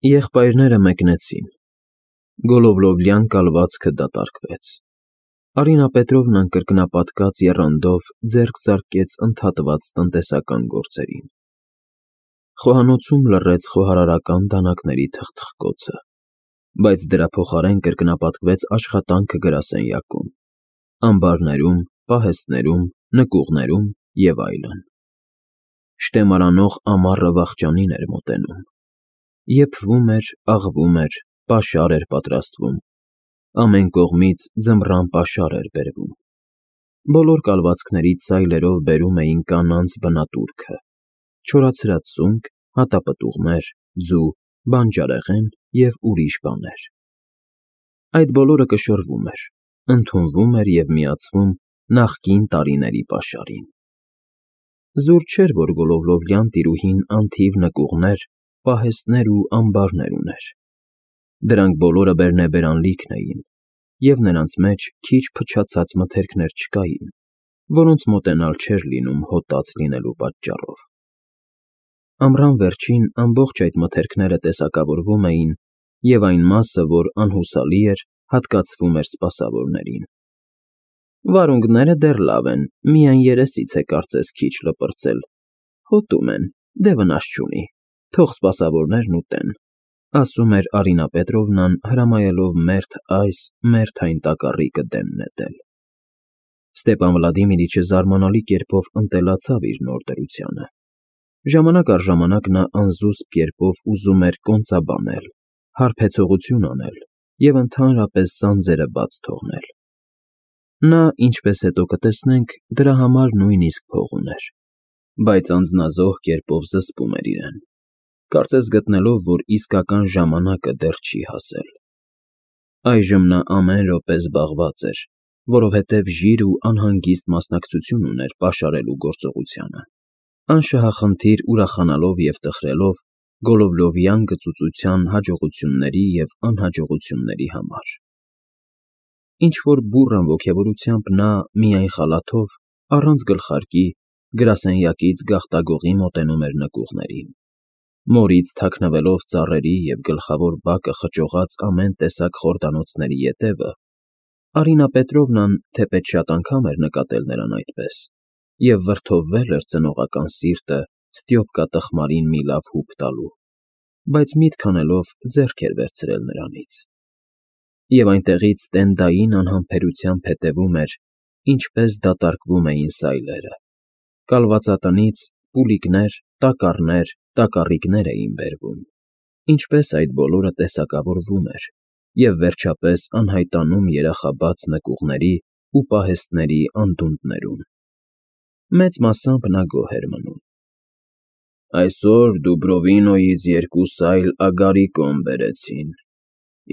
Եղբայրները մեկնեցին։ Գոլովլովյան կալվածքը դատարկվեց։ Արինա Պետրովնան կրկնապատկած եռանդով ձեռք զարկեց ընդհատված տնտեսական գործերին։ Խոհանոցում լռեց խոհարարական դանակների թխթխկոցը, բայց դրա փոխարեն կրկնապատկվեց աշխատանքը գրասենյակում, ամբարներում, պահեստներում, նկուղներում և այլն։ Շտեմարանող ամառը վախճանին էր մոտենում։ Եփվում էր, աղվում էր, պաշար էր պատրաստվում, ամեն կողմից ձմռան պաշար էր բերվում։ Բոլոր կալվածքներից սայլերով բերում էին կանանց բնատուրքը՝ չորացրած սունկ, հատապտուղներ, ձու, բանջարեղեն և ուրիշ բաներ։ Այդ բոլորը կշռվում էր, ընդունվում էր և միացվում նախկին տարիների պաշարին։ Զուր չէր, որ Գոլովլովյան տիրուհին անթիվ նկուղներ, պահեստներ ու ամբարներ ուներ։ Դրանք բոլորը բերնեբերան լիքն էին, և նրանց մեջ քիչ փչացած մթերքներ չկային, որոնց մոտենալ չէր լինում հոտած լինելու պատճառով։ Ամռան վերջին ամբողջ այդ մթերքները տեսակավորվում էին, և այն մասը, որ անհուսալի էր, հատկացվում էր սպասավորներին։ Վարունգները դեռ լավ են, միայն երեսից է կարծես քիչ լպրծել, հոտում են, դե վնաս չունի, թող սպասավորներն ուտեն, ասում էր Արինա Պետրովնան, հրամայելով մերթ այս, մերթ այն տակառիկը դեմ նետել։ Ստեպան Վլադիմիրիչը զարմանալի կերպով ընտելացավ իր նոր դրությանը։ Ժամանակ առ ժամանակ նա անզուսպ կերպով ուզում էր կոնծաբանել, հարբեցողություն անել և ընդհանրապես սանձերը բաց թողնել։ Նա, ինչպես հետո կտեսնենք, դրա համար նույնիսկ փող ուներ, բայց անձնազոհ կերպով զսպում էր իրեն, կարծես գտնելով, որ իսկական ժամանակը դեռ չի հասել։ Այժմ նա ամեն րոպե զբաղված էր, որովհետև ժիր ու անհանգիստ մասնակցություն ուներ պաշարելու գործողությանը, անշահախնդիր ուրախանալով և տխրելով Գոլովլովյան գծուծության հաջողությունների և անհաջողությունների համար։ Ինչ-որ բուռն ոգևորությամբ նա միայն խալաթով, առանց գլխարկի, գրասենյակից գաղտագողի մոտենում էր նկուղներին։ Մորից թաքնվելով ծառերի և գլխավոր բակը խճողած ամեն տեսակ խորդանոցների ետևը, Արինա Պետրովնան թեպետ շատ անգամ էր նկատել նրան այդպես, և վրդովվել էր ծնողական սիրտը Ստյոպկա տխմարին մի լավ հուպ տալու, բայց միտք անելով ձեռք էր վերցրել նրանից։ Եվ այնտեղից տենդային անհամբերությամբ հետևում էր, ինչպես դատարկվում էին սայլերը։ Կալվածատնից պուլիկներ, տակառներ, տակառիկներ էին բերվում, ինչպես այդ բոլորը տեսակավորվում էր և վերջապես անհայտանում երախաբաց նկուղների ու պահեստների անդունդներում։ Մեծ մասամբ նա գոհ էր մնում։ Այսօր Դուբրովինոյից 2 սայլ ագարիկոն բերեցին։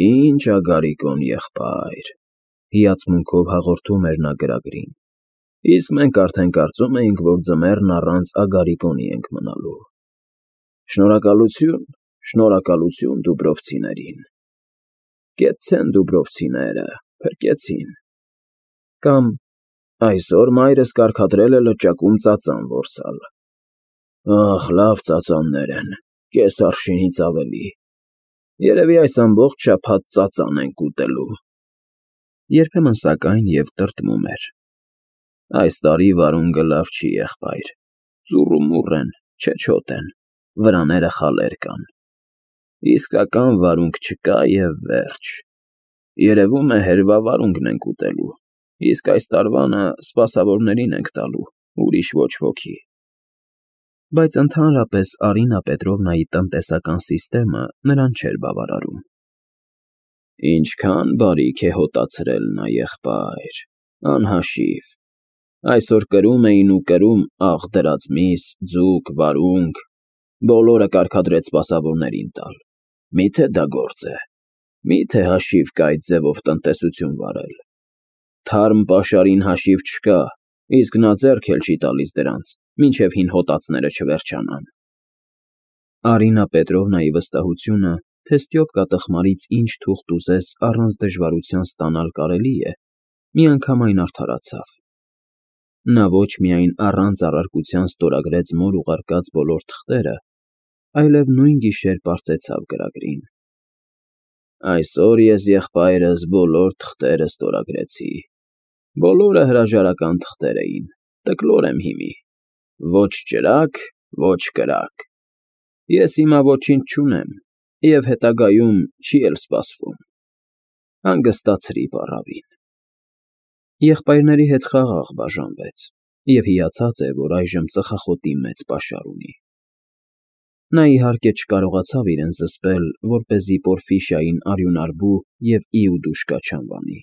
Ինչ ագարիկոն, եղբայր, հիացմունքով հաղորդում էր նա գրագրին, իսկ մենք արդեն կարծում էինք, որ ձմեռն առանց ագարիկոնի ենք մնալու։ Շնորհակալություն, շնորհակալություն դուբրովցիներին։ Կեցցեն դուբրովցիները, փրկեցին։ Կամ այսօր մայրս կարգադրել է լճակում ծածան որսալ։ Ախ, լավ ծածաններ են, կես արշինից ավելի։ Երևի այս ամբողջ շաբաթ ծածան ենք ուտելու։ Երբեմն սակայն և տրտմում էր. Այս տարի վարունգը լավ չի, եղբայր, ծուռումուռ են, չեչոտ են, վրաները խալեր կան։ Իսկական վարունգ չկա և վերջ։ Երևում է հերվա վարունգն ենք ուտելու, իսկ այս տարվանը սպասավորներին ենք տալու, ուրիշ ոչ ոքի։ Բայց ընդհանրապես Արինա Պետրովնայի տնտեսական սիստեմը նրան չէր բավարարում։ Ինչքան բարիք է հոտացրել նա, եղբայր, անհաշիվ։ Այսօր կրում էին ու կրում աղ դրած միս, ձուկ, վարունգ, բոլորը կարգադրեց սպասավորներին տալ։ Մի՞թե դա գործ է։ Մի՞թե հաշիվ կա այդ ձևով տնտեսություն վարել։ Թարմ պաշարին հաշիվ չկա, իսկ նա ձեռք էլ չի տալիս դրանց, մինչև հին հոտածները չվերջանան։ Արինա Պետրովնայի վստահությունը, թե Ստյոպկա տխմարից ինչ թուղթ ուզես առանց դժվարության ստանալ կարելի է, միանգամայն արդարացավ։ Նա ոչ միայն առանց առարկության ստորագրեց մոր ուղարկած բոլոր թղթերը, այլև նույն գիշեր պարծեցավ գրագրին. Այսօր ես եղբայրս բոլոր թղթերը ստորագրեցի։ Բոլորը հրաժարական թղթեր էին, տկլոր եմ հիմի, ոչ ճրագ, ոչ կրակ։ Ես հիմա ոչինչ չունեմ, և հետագայում չի էլ սպասվում։ Հանգստացրի պառավին։ Եղբայրների հետ խաղաղ բաժանվեց, և հիացած էր, որ այժմ ծխախոտի մեծ պաշար ունի։ Նա իհարկե չկարողացավ իրեն զսպել, որպեսզի Պորֆիշային արյունարբու և Իուդուշկա չանվանի,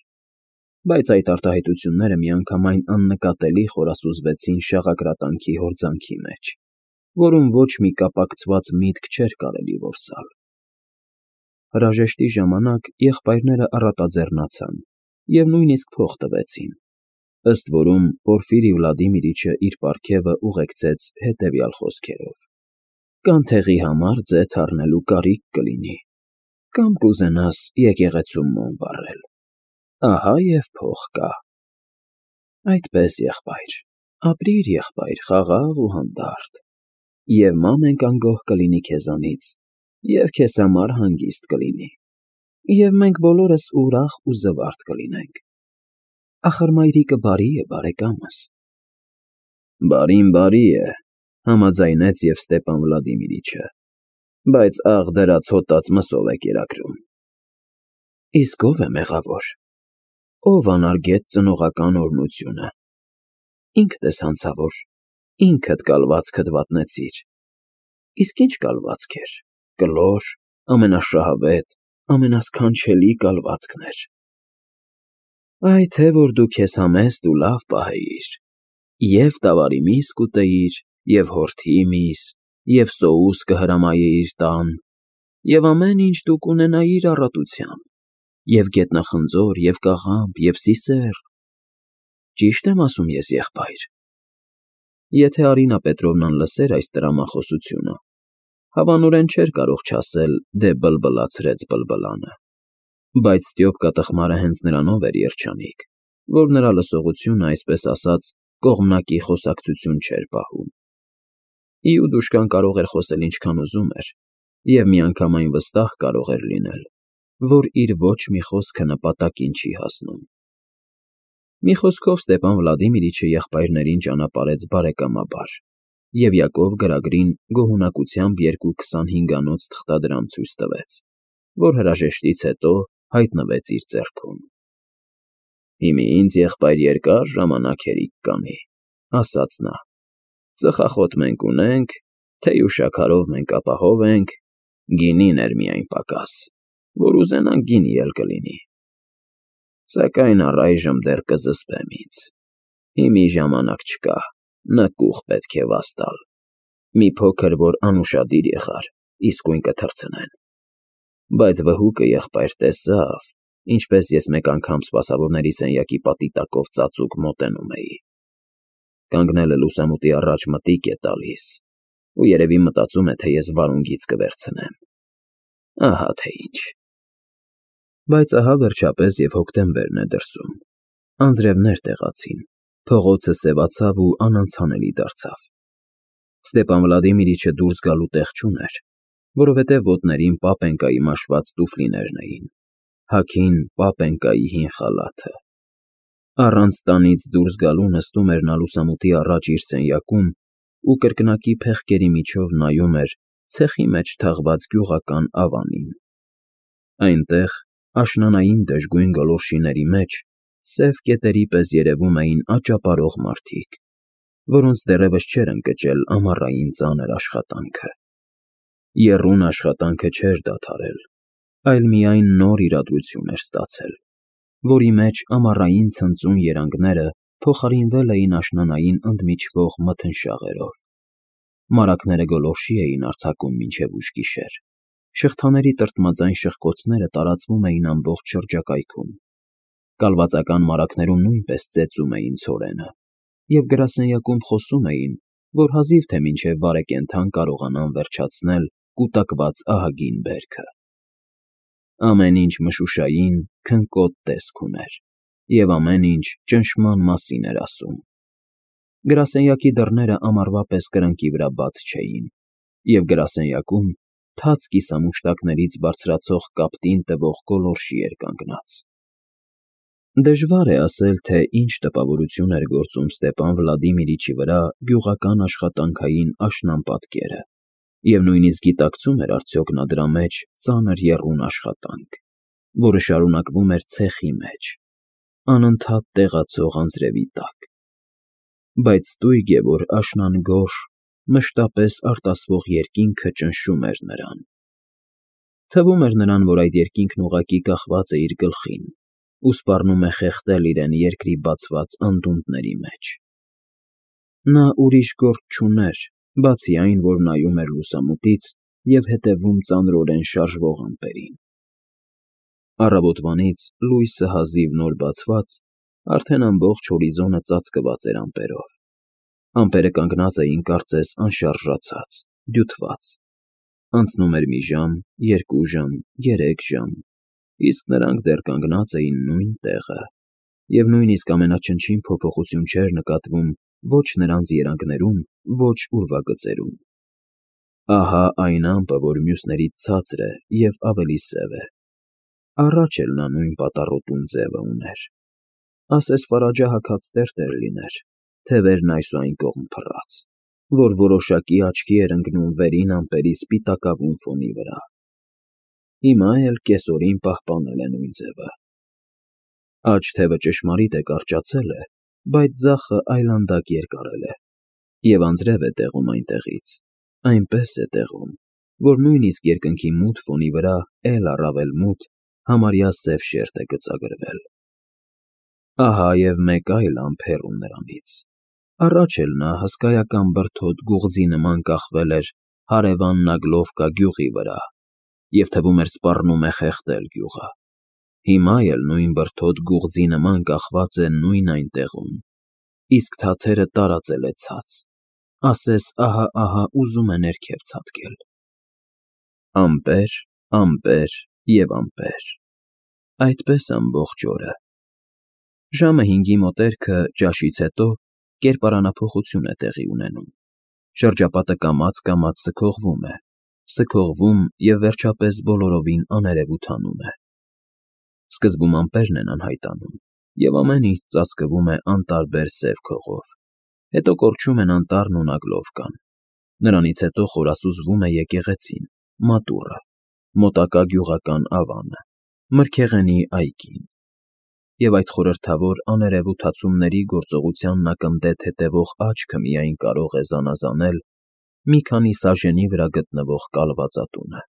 բայց այդ արտահայտությունները միանգամայն աննկատելի խորասուզվեցին շաղակրատանքի հորձանքի մեջ, որում ոչ մի կապակցված միտք չէր կարելի որսալ։ Հրաժեշտի ժամանակ եղբայրները առատաձեռնացան և նույնիսկ փող տվեցին, ըստ որում Պորֆիրի Վլադիմիրիչը իր պարգևը ուղեկցեց հետևյալ խոսքերով. «Կանթեղի համար ձեթ առնելու կարիք կլինի, կամ կուզենաս եկեղեցում մոմ վառել, ահա և փող կա»։ Այդպես, եղբայր, ապրիր, եղբայր, խաղաղ ու հանդարտ, և մամենք անգոհ կլինի քեզանից, և քեզ համար հանգիստ կլինի, և մենք բոլորս ուրախ ու զվարթ կլինենք։ Ախր մայրիկը բարի է, բարեկամս։ Բարին բարի է, համաձայնեց և Ստեպան Վլադիմիրիչը, բայց աղ դրած հոտած մսով է կերակրում։ Իսկ ո՞վ է մեղավոր։ Ո՞վ անարգեց ծնողական օրհնությունը։ Ինքդ ես հանցավոր, ինքդ կալվածքդ վատնեցիր։ Իսկ ինչ կալվածք էր, կլոր, ամենաշահավետ, ամենասքանչելի կալվածքն էր։ Այ թե որ դու քեզ համեստ ու լավ պահեիր, և տավարի միս կուտեիր, և հորթի միս, և սոուս կհրամայեիր տան, և ամեն ինչ դու կունենայիր առատությամբ, և գետնախնձոր, և կաղամբ, և սիսեռ։ Ճի՞շտ եմ ասում ես, եղբայր։ Եթե Արինա Պետրովնան լսեր այս տրամախոսությունը, հավանորեն չէր կարող չասել «դե բլբլացրեց բլբլանը», բայց Ստյոպկա տխմարը հենց նրանով էր երջանիկ, որ նրա լսողությունը, այսպես ասած, կողմնակի խոսակցություն չէր պահում։ Իուդուշկան կարող էր խոսել ինչքան ուզում էր, և միանգամայն վստահ կարող էր լինել, որ իր ոչ մի խոսքը նպատակին չի հասնում։ Մի խոսքով, Ստեպան Վլադիմիրիչը եղբայրներին ճանապարհեց բարեկամաբար, և Յակով գրագրին գոհունակությամբ 2-25-անոց թղթադրամ ցույց տվեց, որ հրաժեշտից հետո հայտնվեց իր ձեռքում։ Հիմի ինձ, եղբայր, երկար ժամանակ հերիք կանի, ասաց նա, ծխախոտ մենք ունենք, թեյ ու շաքարով մենք ապահով ենք, գինին էր միայն պակաս, որ ուզենանք գինի էլ կլինի։ Սակայն առայժմ դեռ կզսպեմ ինձ։ Հիմի ժամանակ չկա, նկուղ պետք է վաստալ։ Մի փոքր որ անուշադիր եղար, իսկույն կթռցնեն։ Բայց վհուկը, եղբայր, տեսավ, ինչպես ես մեկ անգամ սպասավորների սենյակի պատի տակով ծածուկ մոտենում էի։ Կանգնելը լուսամուտի առաջ մտիկ է տալիս, ու երևի մտածում է, թե ես վարունգից կվերցնեմ։ Ահա թե ինչ։ Բայց ահա վերջապես և հոկտեմբերն է դրսում։ Անձրևներ տեղացին, փողոցը սևացավ ու անանցանելի դարձավ։ Ստեպան Վլադիմիրիչը դուրս գալու տեղ չուներ, որովհետև ոտներին պապենկայի մաշված տուֆլիներն էին, հագին պապենկայի հին խալաթը։ Առանց տանից դուրս գալու նստում էր նա լուսամուտի առաջ իր սենյակում ու կրկնակի փեղկերի միջով նայում էր ցեխի մեջ թաղված գյուղական ավանին։ Այնտեղ, աշնանային դժգույն գոլորշիների մեջ, սև կետերի պես երևում էին աճապարող մարդիկ, որոնց դեռևս չէր ընկճել ամառային ծանր աշխատանքը։ Եռուն աշխատանքը չէր դադարել, այլ միայն նոր իրադրություն էր ստացել, որի մեջ ամառային ցնծուն երանգները փոխարինվել էին աշնանային ընդմիջվող մթնշաղերով։ Մարակները գոլորշի էին արձակում մինչև ուշ գիշեր, շղթաների տրտմաձայն շխկոցները տարածվում էին ամբողջ շրջակայքում, կալվածական մարակներում նույնպես ծեծում էին ցորենը, և գրասենյակում խոսում էին, որ հազիվ թե մինչև բարեկենդան կարողանան վերջացնել կուտակված ահագին բերքը։ Ամեն ինչ մշուշային, քնկոտ տեսք ուներ, և ամեն ինչ ճնշման մասին էր ասում։ Գրասենյակի դռները ամառվա պես կրկնակի վրա բաց չէին, և գրասենյակում թաց կիսամուշտակներից բարձրացող կապտին տվող գոլորշի էր կանգնած։ Դժվար է ասել, թե ինչ տպավորություն էր գործում Ստեպան Վլադիմիրիչի վրա գյուղական աշխատանքային աշնան պատկերը, և նույնիսկ գիտակցում էր արդյոք նա դրա մեջ ծանր եռուն աշխատանք, որը շարունակվում էր ցեխի մեջ, անընդհատ տեղացող անձրևի տակ։ Բայց ստույգ է, որ աշնան գորշ, մշտապես արտասվող երկինքը ճնշում էր նրան։ Թվում էր նրան, որ այդ երկինքն ուղղակի կախված է իր գլխին ու սպառնում է խեղդել իրեն երկրի բացված անդունդների մեջ։ Նա ուրիշ գործ չուներ, բացի այն, որ նայում էր լուսամուտից և հետևում ծանրորեն շարժվող ամպերին։ Առավոտվանից լույսը հազիվ նոր բացված, արդեն ամբողջ հորիզոնը ծածկված էր ամպերով։ Ամպերը կանգնած էին կարծես անշարժացած, դյութված։ Անցնում էր մի ժամ, 2 ժամ, 3 ժամ, իսկ նրանք դեռ կանգնած էին նույն տեղը, և նույնիսկ ամենաչնչին փոփոխություն չէր նկատվում ոչ նրանց երանգներում, ոչ ուրվագծերում։ Ահա այն ամպը, որ մյուսներից ցածր է և ավելի սև է։ Առաջ էլ նա նույն պատառոտուն ձևը ուներ։ Ասես ֆարաջահագած տերտեր լիներ, թևերն այս ու այն կողմ փռած, որ որոշակի աչքի էր ընկնում վերին ամպերի սպիտակավուն ֆոնի վրա։ Հիմա էլ կեսօրին պահպանել է նույն ձևը։ Աջ թևը ճշմարիտ է կարճացել է, բայց ձախը այլանդակ երկարել է, և անձրև է տեղում այնտեղից, այնպես է տեղում, որ նույնիսկ երկնքի մութ ֆոնի վրա էլ առավել մութ, համարյա սև շերտ է գծագրվել։ Ահա և մեկ այլ ամպ հեռու նրանից։ Առաջ էլ նա հսկայական բրդոտ գուղձի նման կախվել էր հարևան Նագլովկա գյուղի վրա և թվում էր սպառնում է խեղդել գյուղը։ Հիմա էլ նույն բրդոտ գուղձի նման կախված է նույն այնտեղում, իսկ թաթերը տարածել է ցած, ասես ահա-ահա ուզում է ներքև ցատկել։ Ամպեր, ամպեր և ամպեր։ Այդպես ամբողջ օրը։ Ժամը 5-ի մոտերքը, ճաշից հետո, կերպարանափոխություն է տեղի ունենում։ Շրջապատը կամաց֊կամաց սքողվում և վերջապես բոլորովին աներևութանում է։ Սկզբում ամպերն են անհայտանում, և ամեն ինչ ծածկվում է անտարբեր սև քողով, հետո կորչում են անտառն ու Նագլովկան, նրանից հետո խորասուզվում է եկեղեցին, մատուռը, մոտակա գյուղական ավանը, մրգեղենի այգին, և այդ խորհրդավոր աներևութացումների գործողությանն ակնթեթ հետևող աչքը միայն կարող է զանազանել մի քանի սաժենի վրա գտնվող կալվածատունը։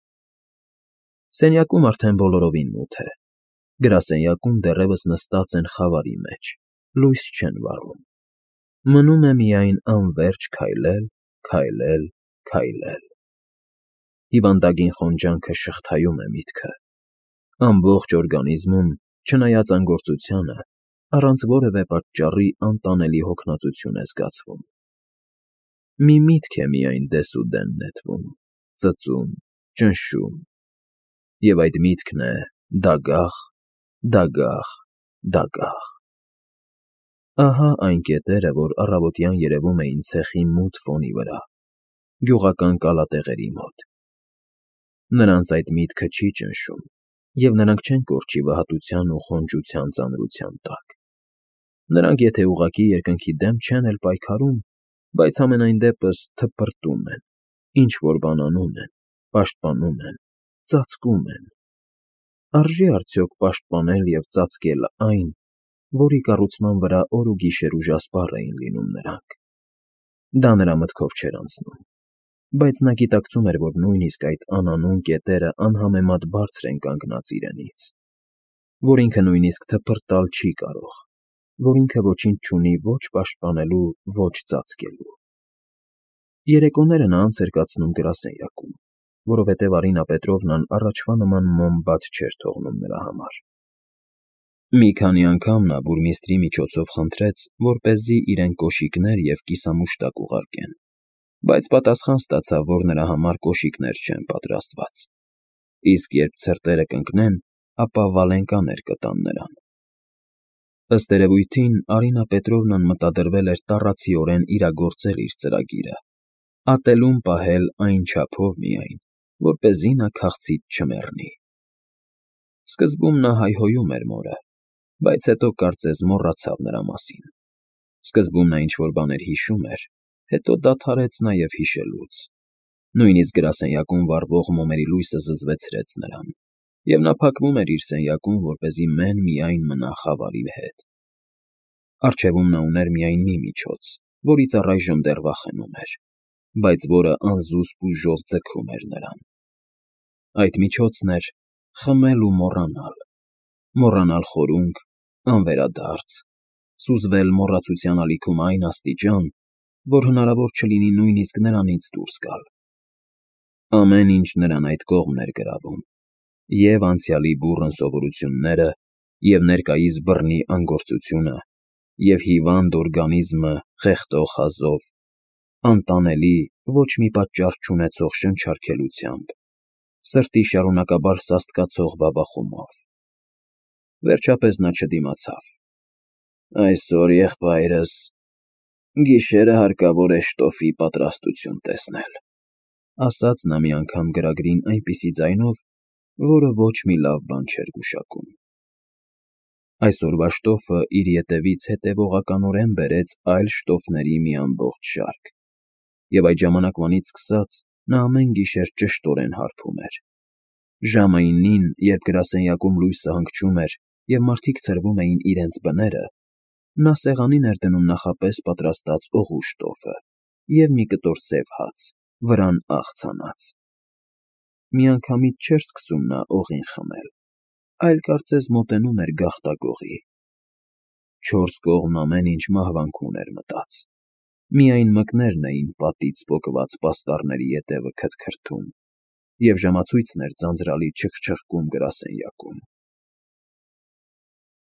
Սենյակում արդեն բոլորովին մութ է։ Գրասենյակում դեռևս նստած են խավարի մեջ, լույս չեն վառում։ Մնում է միայն անվերջ քայլել, քայլել, քայլել։ Հիվանդագին խոնջանքը շղթայում է միտքը։ Ամբողջ օրգանիզմում, չնայած անգործությանը, առանց որևէ պատճառի անտանելի հոգնածություն է զգացվում։ Մի միտք է միայն դեսուդեն նետվում, ծծում, ճնշում, և այդ միտքն է դագաղ, դագաղ, դագաղ։ Ահա այն կետերը, որ առավոտյան երևում էին ցեխի մութ ֆոնի վրա, գյուղական կալատեղերի մոտ։ Նրանց այդ միտքը չի ճնշում, և նրանք չեն կորչի վհատության ու խոնջության ծանրության տակ։ Նրանք եթե ուղղակի երկնքի դեմ չեն էլ պայքարում, բայց համենայն դեպս թպրտում են, ինչ֊որ բան անում են, պաշտպանում են, ծածկում են։ Արժե՞ արդյոք պաշտպանել և ծածկել այն, որի կառուցման վրա օր ու գիշեր ուժասպառ էին լինում նրանք։ Դա նրա մտքով չէր անցնում, բայց նա գիտակցում էր, որ նույնիսկ այդ անանուն կետերը անհամեմատ բարձր են կանգնած իրենից, որ ինքը նույնիսկ թպրտալ չի կարող, որ ինքը ոչինչ չունի ոչ պաշտպանելու, ոչ ծածկելու։ Երեկոները նա անց էր կացնում գրասենյակում, որովհետև Արինա Պետրովնան առաջվա նման մոմ բաց չէր թողնում նրա համար։ Մի քանի անգամ նա բուրմիստրի միջոցով խնդրեց, որպեսզի իրեն կոշիկներ և կիսամուշտակ ուղարկեն, բայց պատասխան ստացավ, որ նրա համար կոշիկներ չեն պատրաստված, իսկ երբ ցրտերը կընկնեն, ապա վալենկաներ կտան նրան։ Ըստ երևույթին, Արինա Պետրովնան մտադրվել էր տառացիորեն իրագործել իր ծրագիրը, ատելում պահել այն չափով միայն, որպեսզի նա քաղցից չմեռնի։ Սկզբում նա հայհոյում էր մորը, բայց հետո կարծես մոռացավ նրա մասին։ Սկզբում նա ինչ֊որ բաներ հիշում էր, հետո դադարեց նաև հիշելուց։ Նույնիսկ գրասենյակում վառվող մոմերի լույսը զզվեցրեց նրան, և նա փակվում էր իր սենյակում, որպեսզի մեն֊միայն մնա խավարի հետ։ Առջևում նա ուներ միայն մի միջոց, որից առայժմ դեռ վախենում էր, բայց որը անզուսպ ուժով ձգում էր նրան։ Այդ միջոցն էր խմել ու մոռանալ, մոռանալ խորունգ, անվերադարձ, սուզվել մոռացության ալիքում այն աստիճան, որ հնարավոր չլինի նույնիսկ նրանից դուրս գալ։ Ամեն ինչ նրան այդ կողմն էր գրավում, և՛ անցյալի բուռն սովորությունները, և՛ ներկայիս բռնի անգործությունը, և՛ հիվանդ օրգանիզմը խեղդող հազով, անտանելի, ոչ մի պատճառ չունեցող շնչարգելությամբ, սրտի շարունակաբար սաստկացող բաբախումով։ Վերջապես նա չդիմացավ։ «Այսօր, եղբայրս, գիշերը հարկավոր է շտոֆի պատրաստություն տեսնել», ասաց նա մի անգամ գրագրին այնպիսի ձայնով, որը ոչ մի լավ բան չէր գուշակում։ Այսօրվա շտոֆը իր ետևից հետևողականորեն բերեց այլ շտոֆների մի ամբողջ շարք, և այդ ժամանակվանից սկսած նա ամեն գիշեր ճշտորեն հարբում էր։ Ժամը 9-ին, երբ գրասենյակում լույսը հանգչում էր և մարդիկ ցրվում էին իրենց բները, նա սեղանին էր դնում նախապես պատրաստած օղու շտոֆը և մի կտոր սև հաց, վրան աղ ցանած։ Միանգամից չէր սկսում նա օղին խմել, այլ կարծես մոտենում էր գաղտագողի։ Չորս կողմ ամեն ինչ մահվանքուն էր մտած, միայն մկներն էին պատից պոկված պաստառների ետևը քրթքրթում, և ժամացույցն էր ձանձրալի չխչխկում գրասենյակում։